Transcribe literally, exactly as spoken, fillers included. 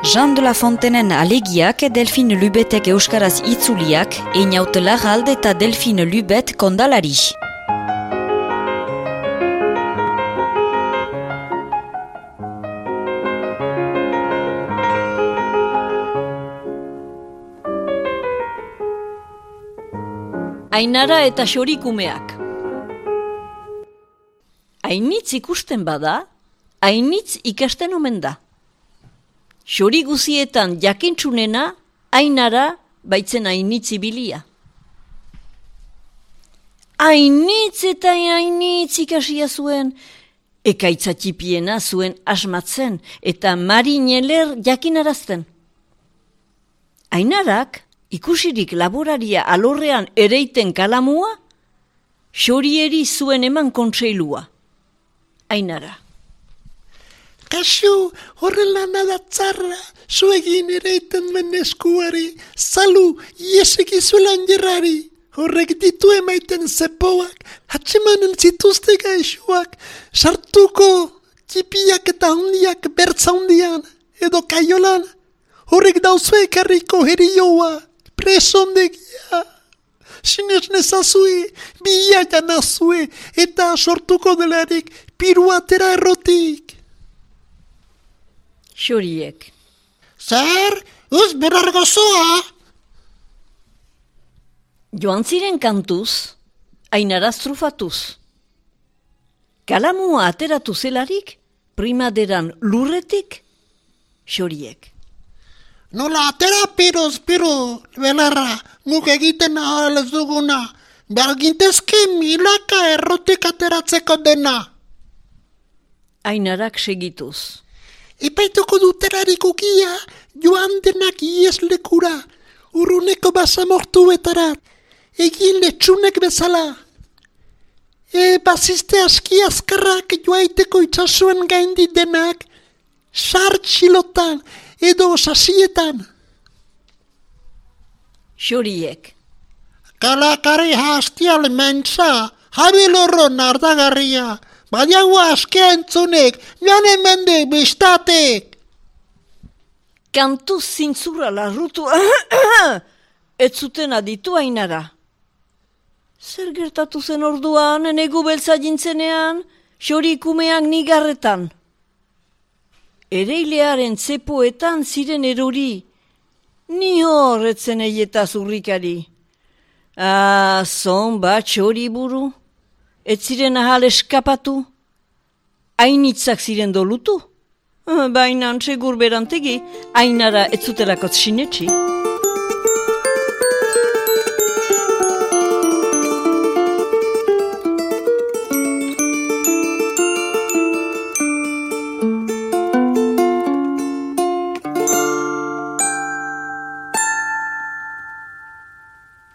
Jean de la Fontenen alegiak Delphine Lubetek euskaraz itzuliak, Einaut Larralde eta Delphine Lubet kondalari. Ainara eta xorikumeak. Ainitz ikusten bada, ainitz ikasten omen da. Xori guzietan jakintxunena, ainara baitzen ainitz ibilia. Ainitz eta ainitz ikasia zuen, ekaitza txipiena zuen asmatzen eta marineler jakinarazten. Ainarak, ikusirik laboraria alorrean ereiten kalamua, xorieri zuen eman kontseilua. Ainara. Kasu, horrela nada tzarra, zuegin ereiten men eskuari, zalu, ieseki zuelan jerrari. Horrek ditu emaiten zepoak, hatsemanen zituzte gaixoak, sartuko txipiak eta hundiak bertza hundian, edo kaiolan, horrek dauzue karriko herioa, presondegia. Sinez nezazue, bia janazue, eta sortuko delarik piruatera errotik. Xoriek. Zer, uz berargo zoa? Joan ziren kantuz, ainaraz trufatuz. Kalamua ateratu zelarik, primaderan lurretik, xoriek. Nola atera piroz, piro, belarra, guk egiten ahal ez duguna. Bergintezke milaka errotik ateratzeko dena. Ainarak segituz. Epaituko duterarik ukia, joan denak ieslekura, urruneko basamortuetarat, egin letxunek bezala. E baziste aski azkarrak joaiteko itxasuen gaindi denak, sartxilotan edo sasietan. Xoriek. Kalakari hastial mentza, jabilorro nardagarria, badiago askea entzunek, joan emende bistatek. Kantuz zintzura larrutu, ez zuten aditu ainara. Zer gertatu zen orduan, negu beltza jintzenean, xorikumeak nigarretan. Ereilearen zepoetan ziren erori, ni horretzen eieta zurrikari. Ah, zon bat xori buru, ez ziren ahal eskapatu, ainitzak ziren dolutu. Baina segur berantegi, ainara ez zutelakot sinetxi.